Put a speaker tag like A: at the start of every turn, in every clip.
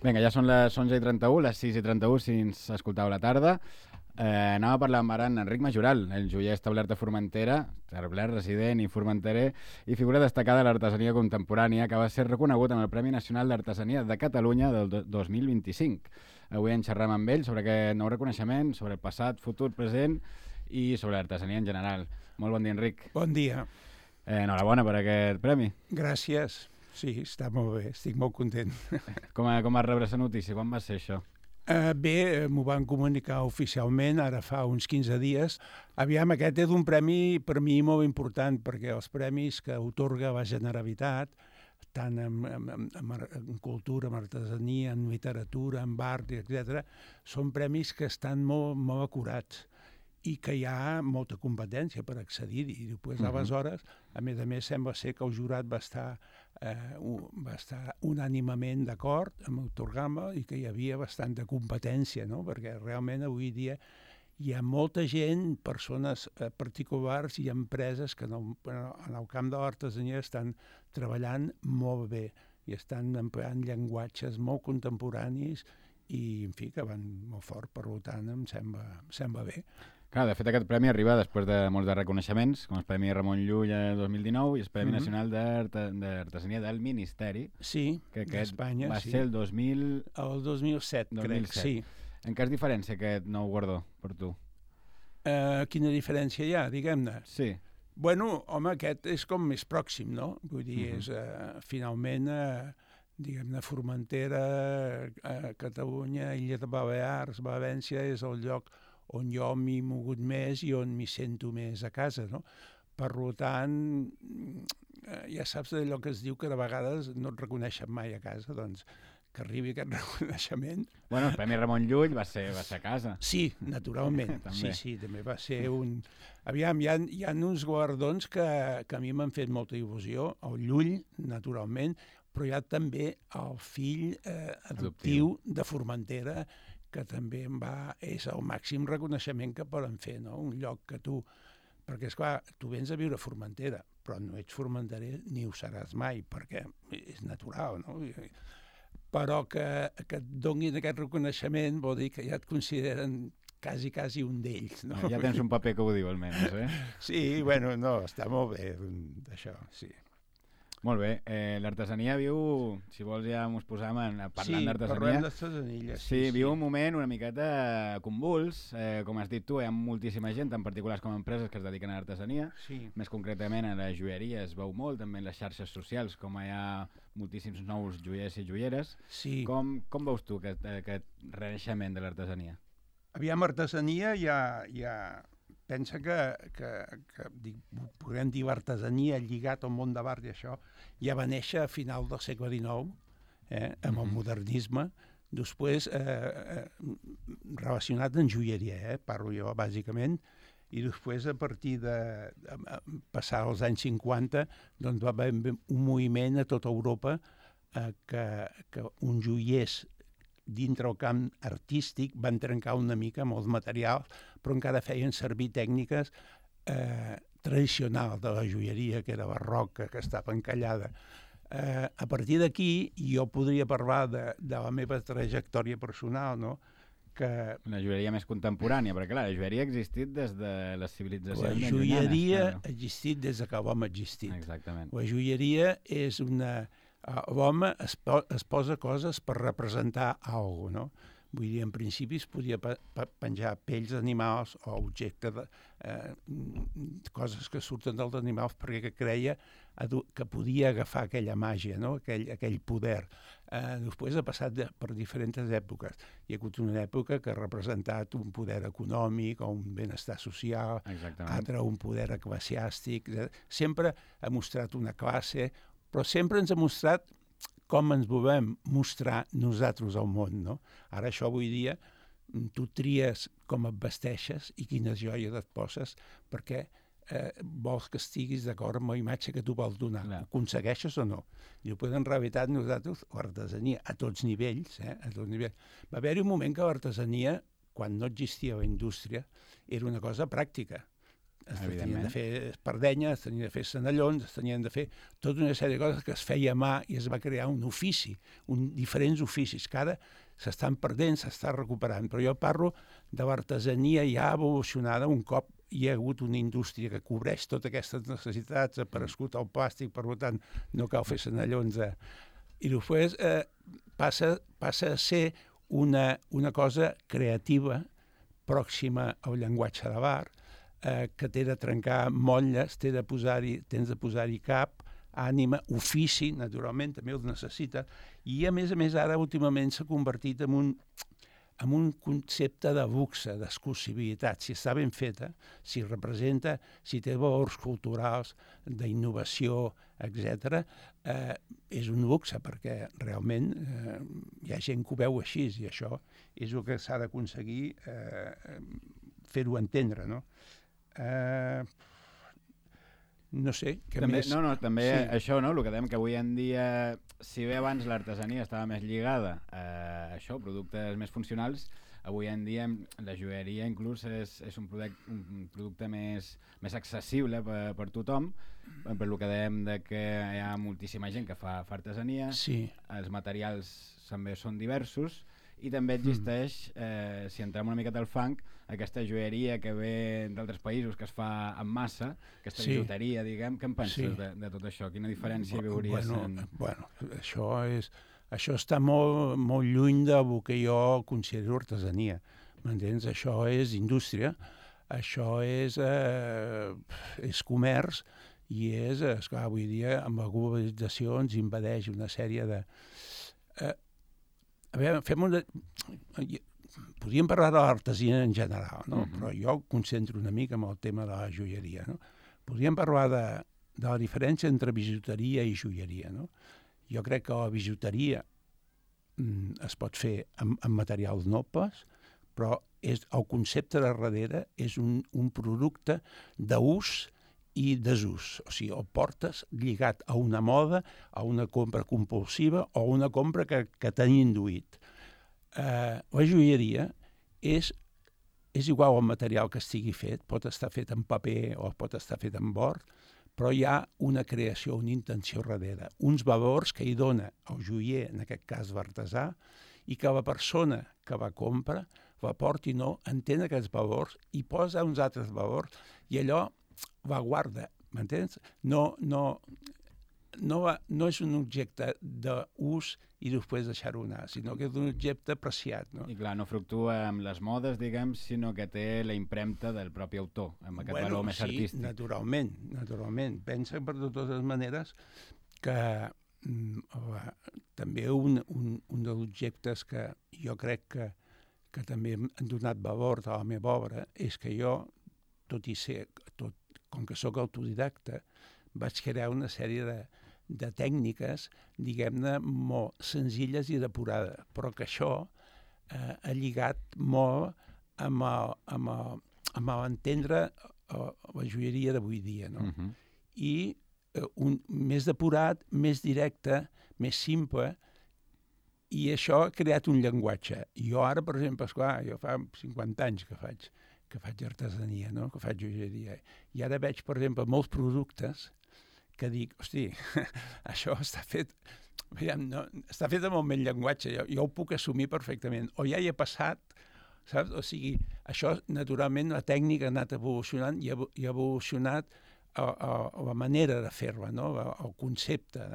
A: Vinga, ja són les 11:31, les 6:31 si ens escoltau a la tarda. Anem a parlar amb ara en Enric Majoral, el joier establert a Formentera, establert, resident i formenterer, i figura destacada de l'artesania contemporània, que va ser reconegut amb el Premi Nacional d'Artesania de Catalunya del 2025. Avui en xerram amb ell sobre aquest nou reconeixement, sobre el passat, futur, present i sobre l'artesania en general. Molt bon dia, Enric.
B: Bon dia.
A: Enhorabona per aquest premi.
B: Gràcies. Sí, està molt bé, estic molt content.
A: Com vas rebre la notícia? Quan va ser això?
B: Bé, m'ho van comunicar oficialment, ara fa uns 15 dies. Aviam, aquest és un premi per mi molt important, perquè els premis que atorga la Generalitat, tant en cultura, en artesania, en literatura, en art, etc., són premis que estan molt acurats i que hi ha molta competència per accedir-hi. I després, aleshores, a més, sembla ser que el jurat va estar unànimament d'acord amb atorgar-me i que hi havia bastanta competència, no? Perquè realment avui dia hi ha molta gent, persones particulars i empreses que en el camp de l'artesania estan treballant molt bé i estan empleant llenguatges molt contemporanis i, en fi, que van molt fort, per tant, em sembla bé.
A: Clar, de fet, aquest premi arriba després de molts de reconeixements, com el Premi Ramon Llull el 2019 i el Premi Nacional d'Artesania del Ministeri.
B: Sí, d'Espanya.
A: Va ser el
B: 2007, crec, sí.
A: En què es diferència aquest nou guardó per tu?
B: Quina diferència hi ha, diguem-ne?
A: Sí.
B: Bueno, home, aquest és com més pròxim, no? Vull dir, és finalment, diguem-ne, Formentera, Catalunya, Illes Balears, València, és el lloc on jo m'hi he mogut més i on m'hi sento més a casa, no? Per tant, ja saps allò que es diu que de vegades no et reconeixen mai a casa, doncs que arribi aquest reconeixement.
A: Bueno, el Premi Ramon Llull va ser a casa.
B: Sí, naturalment. Sí, també va ser un... Aviam, hi ha uns guardons que a mi m'han fet molta il·lusió. El Llull, naturalment, però hi ha també el fill adoptiu de Formentera, que també és el màxim reconeixement que poden fer, no? Un lloc que tu... Perquè, esclar, tu vens a viure a Formentera, però no ets formenterer ni ho seràs mai, perquè és natural, no? Però que et donin aquest reconeixement vol dir que ja et consideren quasi un d'ells, no?
A: Ja tens un paper que ho diu, almenys, eh?
B: Sí, bueno, no, està molt bé, d'això, sí.
A: Molt bé. L'artesania viu, si vols ja ens posam parlant d'artesania.
B: Sí, parlem d'artesania.
A: Sí, viu un moment una miqueta convuls. Com has dit tu, hi ha moltíssima gent, tant particulars com empreses, que es dediquen a l'artesania.
B: Sí.
A: Més concretament a la joieria es veu molt, també en les xarxes socials, com hi ha moltíssims nous joiers i joieres.
B: Sí.
A: Com veus tu aquest renaixement de l'artesania?
B: Aviam, artesania ja pensa que podem dir l'artesania lligat al món de l'art i això, ja va néixer a final del segle XIX, amb el modernisme, després relacionat amb joieria, parlo jo bàsicament, i després a partir de passar els anys 50 doncs va haver un moviment a tota Europa que uns joiers dintre el camp artístic van trencar una mica amb els materials, però encara feien servir tècniques tradicionals de la joieria, que era barroca, que estava encallada. A partir d'aquí, jo podria parlar de la meva trajectòria personal, no?
A: Una joieria més contemporània, perquè clar, la joieria ha existit des de les civilitzacions
B: llunyanes. La joieria ha existit des que l'home ha existit.
A: Exactament.
B: La joieria és una... L'home es posa coses per representar alguna cosa, no? Vull dir, en principi es podia penjar pells d'animals o objectes, coses que surten dels animals perquè creia que podia agafar aquella màgia, no? Aquell poder. Després ha passat per diferents èpoques. Hi ha hagut una època que ha representat un poder econòmic o un benestar social, altra un poder eclesiàstic. Sempre ha mostrat una classe, però sempre ens ha mostrat com ens volem mostrar nosaltres al món, no? Ara això avui dia tu tries com et vesteixes i quines joies et poses perquè vols que estiguis d'acord amb la imatge que tu vols donar. Ho aconsegueixes o no? I després, en realitat, nosaltres, l'artesania, a tots nivells, a tots nivells. Va haver-hi un moment que l'artesania, quan no existia la indústria, era una cosa pràctica. es tenien de fer espardenyes, es tenien de fer senallons, es tenien de fer tota una sèrie de coses que es feia a mà i es va crear un ofici, diferents oficis que ara s'estan perdent, s'està recuperant. Però jo parlo de l'artesania ja evolucionada un cop hi ha hagut una indústria que cobreix totes aquestes necessitats, ha aparegut el plàstic, per tant, no cal fer senallons. I després passa a ser una cosa creativa, pròxima al llenguatge de l'art, que té de trencar motlles, tens de posar-hi cap, ànima, ofici, naturalment, també ho necessita, i a més ara últimament s'ha convertit en un concepte de luxe, d'exclusivitat. Si està ben feta, si representa, si té valors culturals, d'innovació, etc., és un luxe, perquè realment hi ha gent que ho veu així, i això és el que s'ha d'aconseguir fer-ho entendre, no? No sé, què
A: també,
B: més?
A: També sí. Això, no? El que dèiem que avui en dia, si bé abans l'artesania estava més lligada a això, productes més funcionals, avui en dia la joieria inclús és un producte més accessible per tothom, per el que dèiem de que hi ha moltíssima gent que fa artesania,
B: sí.
A: Els materials també són diversos, i també existeix, si entrem una miqueta al funk, aquesta joieria que ve d'altres països, que es fa en massa, aquesta bijuteria, diguem. Què en penses de tot això? Quina diferència hi veuries?
B: Bueno, això està molt lluny del que jo considero artesania. M'entens? Això és indústria, això és comerç, i esclar, avui dia, amb la globalització ens impedeix una sèrie de... A veure, podríem parlar de l'artesania en general, no? Però jo concentro una mica en el tema de la joieria, no? Podríem parlar de la diferència entre bijuteria i joieria, no? Jo crec que la bijuteria es pot fer amb materials nobles, però el concepte de darrere és un producte d'ús i desús. O sigui, el portes lligat a una moda, a una compra compulsiva o a una compra que t'ha induït. La joieria és igual al material que estigui fet, pot estar fet en paper o pot estar fet en bord, però hi ha una creació, una intenció darrere, uns valors que hi dona el joier, en aquest cas l'artesà, i que la persona que la compra, la porti, no, entén aquests valors i posa uns altres valors i allò la guarda, m'entens? No és un objecte d'ús i després deixar-ho anar, sinó que és un objecte apreciat, no?
A: I clar, no fluctua amb les modes, diguem, sinó que té la impremta del propi autor, amb aquest valor més artístic.
B: Sí, naturalment. Pensa, per de totes maneres, que també un dels objectes que jo crec que també han donat valor a la meva obra és que jo, com que sóc autodidacta, vaig crear una sèrie de tècniques, diguem-ne, molt senzilles i depurades, però que això ha lligat molt amb l'entendre la joieria d'avui dia, no? I més depurat, més directe, més simple, i això ha creat un llenguatge. Jo ara, per exemple, esclar, jo fa 50 anys que faig artesania, no? Que faig joieria. I ara veig, per exemple, molts productes que dic, hosti, això està fet amb el meu llenguatge, jo ho puc assumir perfectament. O ja hi he passat, saps? O sigui, això, naturalment, la tècnica ha anat evolucionant i ha evolucionat la manera de fer-la, no? El concepte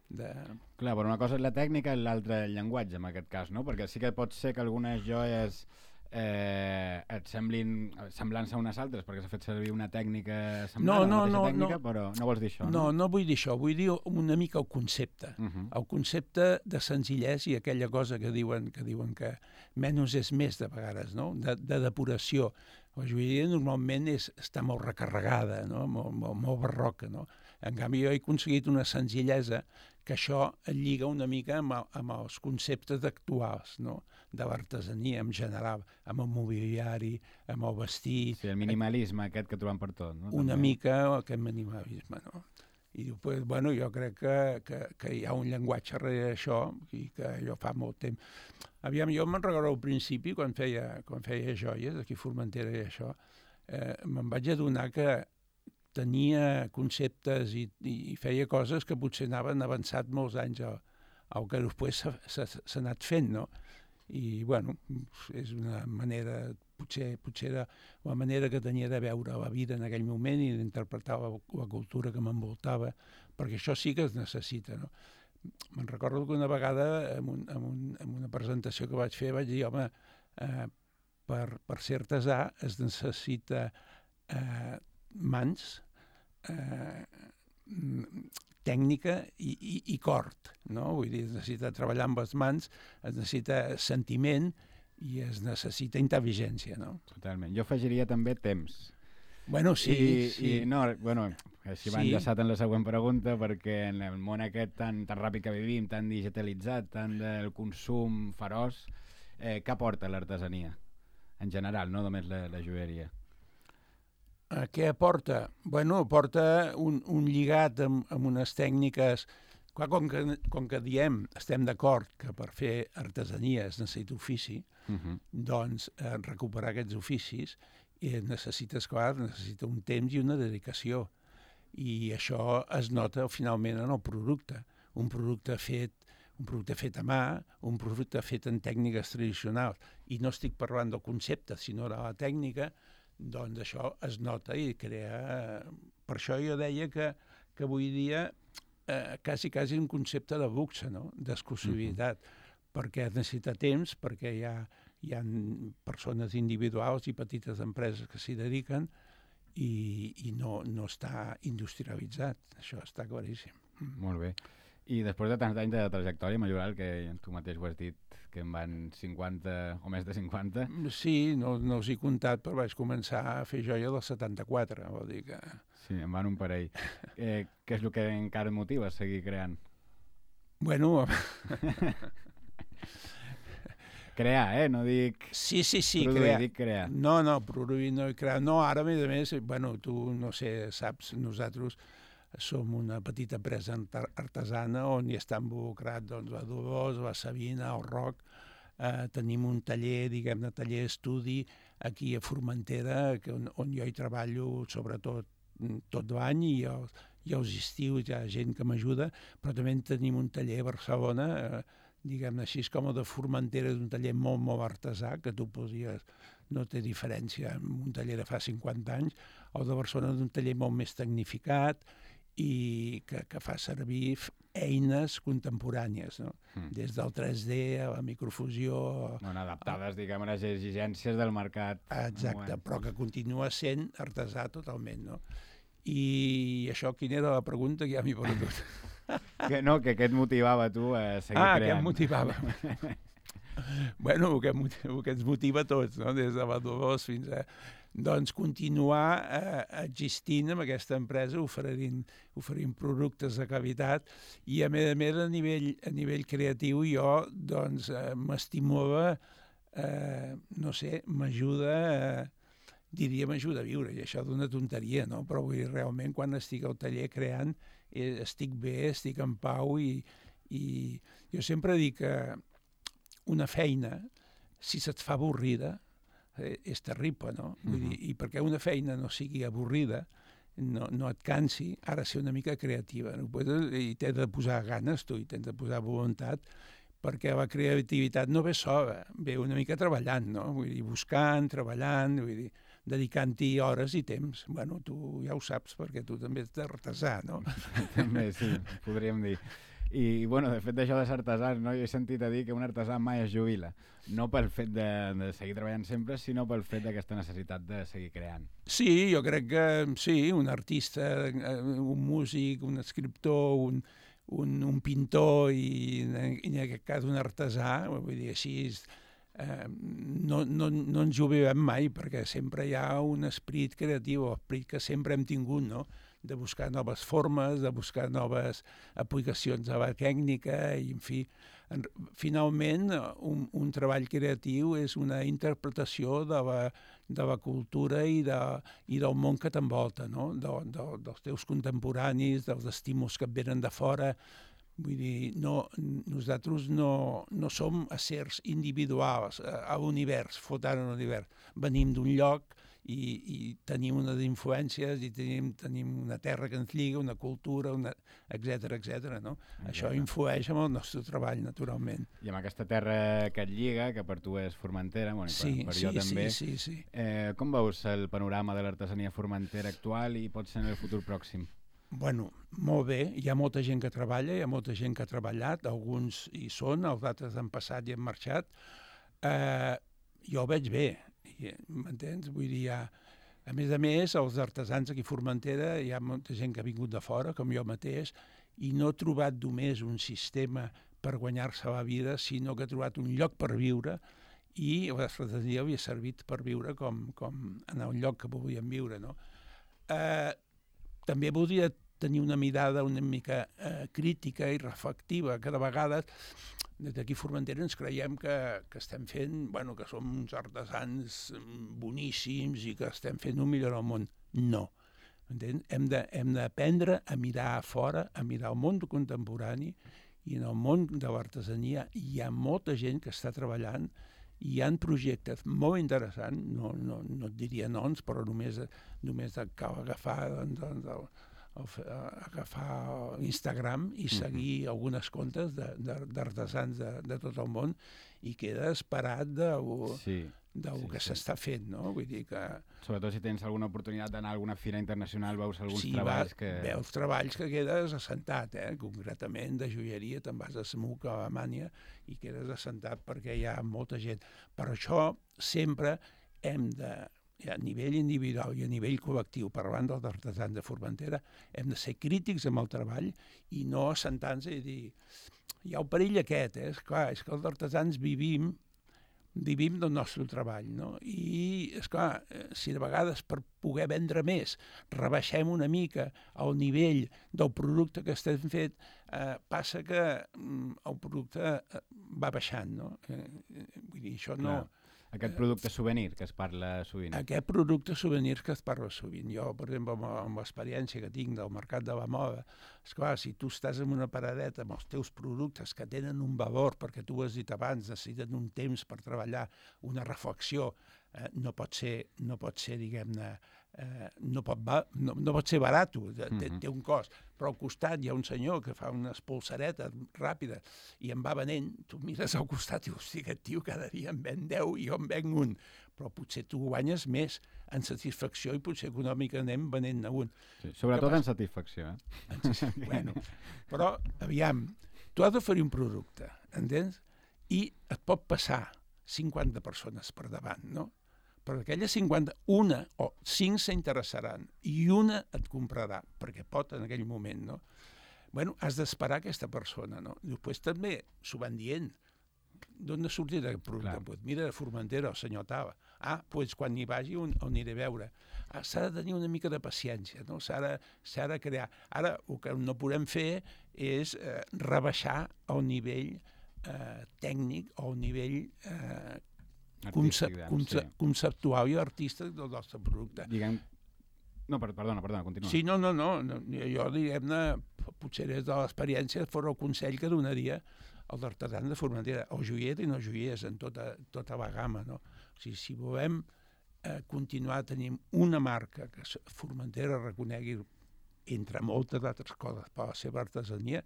B: de...
A: Clar, però una cosa és la tècnica i l'altra el llenguatge, en aquest cas, no? Perquè sí que pot ser que algunes joies et semblin semblant-se a unes altres perquè s'ha fet servir una tècnica semblant a la mateixa tècnica, però no vols dir això, no?
B: No vull dir això, vull dir una mica el concepte. El concepte de senzillesa i aquella cosa que diuen que menys és més de vegades, no? De depuració. La joieria normalment està molt recarregada, no? Molt barroca, no? En canvi, jo he aconseguit una senzillesa que això et lliga una mica amb els conceptes actuals, no? De l'artesania en general, amb el mobiliari, amb el vestit...
A: Sí, el minimalisme aquest que trobem per tot, no?
B: Una mica aquest minimalisme, no? I després, bueno, jo crec que hi ha un llenguatge darrere d'això i que jo fa molt temps... Aviam, jo me'n recordo al principi, quan feia joies, aquí a Formentera i això, me'n vaig adonar que tenia conceptes i feia coses que potser anaven avançat molts anys al que després s'ha anat fent, no? I, bueno, és una manera, potser era la manera que tenia de veure la vida en aquell moment i d'interpretar la cultura que m'envoltava, perquè això sí que es necessita, no? Me'n recordo que una vegada, en una presentació que vaig fer, vaig dir, home, per ser artesà es necessita mans, tècnica i cort, no? Vull dir, es necessita treballar amb les mans, es necessita sentiment i es necessita intel·ligència, no?
A: Totalment. Jo afegiria també temps.
B: Bueno, sí.
A: Així va enllaçat en la següent pregunta, perquè en el món aquest tan ràpid que vivim, tan digitalitzat, tan del consum feroç, què aporta l'artesania? En general, no només la joieria.
B: Què aporta? Bueno, aporta un lligat amb unes tècniques. Clar, com que diem, estem d'acord que per fer artesania es necessita ofici, doncs recuperar aquests oficis necessita un temps i una dedicació. I això es nota finalment en el producte. Un producte fet a mà, un producte fet en tècniques tradicionals. I no estic parlant del concepte, sinó de la tècnica, doncs això es nota i crea... Per això jo deia que avui dia quasi un concepte de luxe, no? D'exclusivitat, perquè es necessita temps, perquè hi ha persones individuals i petites empreses que s'hi dediquen i no està industrialitzat. Això està claríssim.
A: Molt bé. I després de tants anys de trajectòria, Majoral, que tu mateix ho has dit, que en van 50 o més de 50...
B: Sí, no us he comptat, però vaig començar a fer joia del 74, vol dir que...
A: Sí, en van un parell. Què és el que encara et motiva a seguir creant?
B: Bueno...
A: Crear, no dic...
B: Sí,
A: produir, dic crear.
B: No, produir no i crear. No, ara, a més, bueno, tu, no sé, saps, nosaltres som una petita empresa artesana on hi està involucrat doncs, la Dolors, la Sabina, el Roc. Tenim un taller, diguem-ne, taller estudi aquí a Formentera, on jo hi treballo sobretot tot l'any i els estius hi ha gent que m'ajuda, però també tenim un taller a Barcelona, diguem-ne així, com el de Formentera, és un taller molt, molt artesà, que tu podries... No té diferència amb un taller de fa 50 anys. El de Barcelona és un taller molt més tecnificat i que fa servir eines contemporànies, no? Des del 3D a la microfusió...
A: Bueno, adaptades, diguem, a les exigències del mercat.
B: Exacte, però que continua sent artesà totalment, no? I això, quina era la pregunta? Que ja m'hi perdut.
A: Que què et motivava tu a seguir creant?
B: Què em motivava? Bueno, el que ens motiva a tots, no? Des de la Dolors fins a... Doncs continuar existint amb aquesta empresa, oferint productes de qualitat i, a més, a nivell creatiu, jo doncs, m'estimula, no sé, m'ajuda a viure, i això d'una tonteria, no? Però vull dir, realment, quan estic al taller creant, estic bé, estic en pau i jo sempre dic que una feina, si se't fa avorrida, és terrible, no? Vull dir, i perquè una feina no sigui avorrida, no et cansi, ha de ser una mica creativa, no? I t'has de posar ganes, tu, i t'has de posar voluntat, perquè la creativitat no ve sola, ve una mica treballant, no? Vull dir, buscant, treballant, vull dir, dedicant-hi hores i temps. Bueno, tu ja ho saps, perquè tu també ets artesà, no?
A: També, sí, podríem dir. I, bueno, de fet d'això de ser artesà, no? Jo he sentit a dir que un artesà mai es jubila. No pel fet de seguir treballant sempre, sinó pel fet d'aquesta necessitat de seguir creant.
B: Sí, jo crec que sí, un artista, un músic, un escriptor, un pintor i en aquest cas un artesà, vull dir, així no ens jubilem mai, perquè sempre hi ha un esperit creatiu, l'esperit que sempre hem tingut, no?, de buscar noves formes, de buscar noves aplicacions de la tècnica i, en fi, finalment un treball creatiu és una interpretació de la cultura i del món que t'envolta, no? Dels teus contemporanis, dels estímuls que et venen de fora. Vull dir, nosaltres no som éssers individuals a l'univers, flotant en l'univers. Venim d'un lloc i tenim unes influències i tenim una terra que ens lliga, una cultura, etc etc. No? Això influeix en el nostre treball, naturalment.
A: I amb aquesta terra que et lliga, que per tu és Formentera, bueno, per jo també,
B: sí.
A: Com veus el panorama de l'artesania formentera actual i pot ser en el futur pròxim?
B: Bueno, molt bé, hi ha molta gent que treballa, hi ha molta gent que ha treballat, alguns hi són, els altres han passat i han marxat. Jo ho veig bé, m'entens? Vull dir, a més, els artesans aquí a Formentera, hi ha molta gent que ha vingut de fora, com jo mateix, i no he trobat només un sistema per guanyar-se la vida, sinó que he trobat un lloc per viure i l'artesania havia servit per viure com en el lloc que volíem viure, no? També voldria tenir una mirada una mica crítica i reflectiva, que de vegades des d'aquí a Formentera ens creiem que estem fent, bueno, que som uns artesans boníssims i que estem fent un millor al món. No. Entens? Hem d'aprendre a mirar a fora, a mirar el món contemporani, i en el món de l'artesania hi ha molta gent que està treballant i hi ha projectes molt interessants, no et diria noms, però només cal agafar Instagram i seguir algunes comptes d'artesans de tot el món i quedes parat del que s'està fent, no? Vull dir que...
A: Sobretot si tens alguna oportunitat d'anar a alguna fira internacional, veus alguns treballs que...
B: Sí, veus treballs que quedes assentat, concretament de joieria, te'n vas a Smuc, a Alemanya, i quedes assentat perquè hi ha molta gent. Per això sempre hem de, a nivell individual i a nivell col·lectiu, parlant dels artesans de Formentera, hem de ser crítics amb el treball i no assentar-nos i dir hi ha el perill aquest, és clar, és que els artesans vivim del nostre treball, no? I, esclar, si de vegades per poder vendre més rebaixem una mica el nivell del producte que estem fet, passa que el producte va baixant, no? Vull dir, això no...
A: Aquest producte souvenir que es parla sovint.
B: Aquest producte souvenir que es parla sovint. Jo, per exemple, amb l'experiència que tinc del mercat de la moda, esclar, si tu estàs en una paradeta amb els teus productes que tenen un valor, perquè tu ho has dit abans, necessiten un temps per treballar, una reflexió, no pot ser, diguem-ne, no pot ser barat, té un cost, però al costat hi ha un senyor que fa unes polseretes ràpides i en va venent, tu mires al costat i dius, hosti, aquest tio cada dia en ven 10 i jo en venc un, però potser tu guanyes més en satisfacció i potser econòmicament venent-ne un.
A: Sí, sobretot en satisfacció,
B: Bueno, però, aviam, tu has d'oferir un producte, entens? I et pot passar 50 persones per davant, no? Però d'aquelles 50, una o 5 s'interessaran i una et comprarà, perquè pot en aquell moment, no? Bueno, has d'esperar aquesta persona, no? Després també s'ho van dient. D'on ha sortit aquest producte? Pues mira, de Formentera, el senyor Tava. Doncs quan hi vagi on aniré a veure. S'ha de tenir una mica de paciència, no? S'ha de crear. Ara, el que no podem fer és rebaixar el nivell tècnic o el nivell conceptual i artístic del nostre producte.
A: No, perdona, continua.
B: Sí, no. Jo, diguem-ne, potser des de l'experiència fos el consell que donaria als artesans de Formentera, o joiers i no joiers, en tota la gamma, no? O sigui, si volem continuar tenint una marca que Formentera reconegui, entre moltes altres coses, per la seva artesania,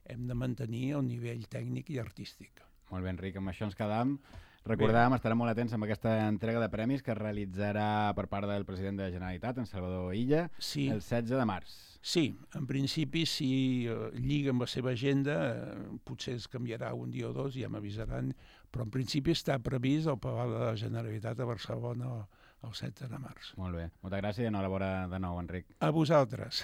B: hem de mantenir el nivell tècnic i artístic.
A: Molt bé, Enric, amb això ens quedam. Recordàvem, estarem molt atents amb aquesta entrega de premis que es realitzarà per part del president de la Generalitat, en Salvador Illa, el 16 de març.
B: Sí, en principi, si lliga amb la seva agenda, potser es canviarà un dia o dos, ja m'avisaran, però en principi està previst al Palau de la Generalitat a Barcelona el 16 de març.
A: Molt bé. Moltes gràcies i enhorabona de nou, Enric.
B: A vosaltres.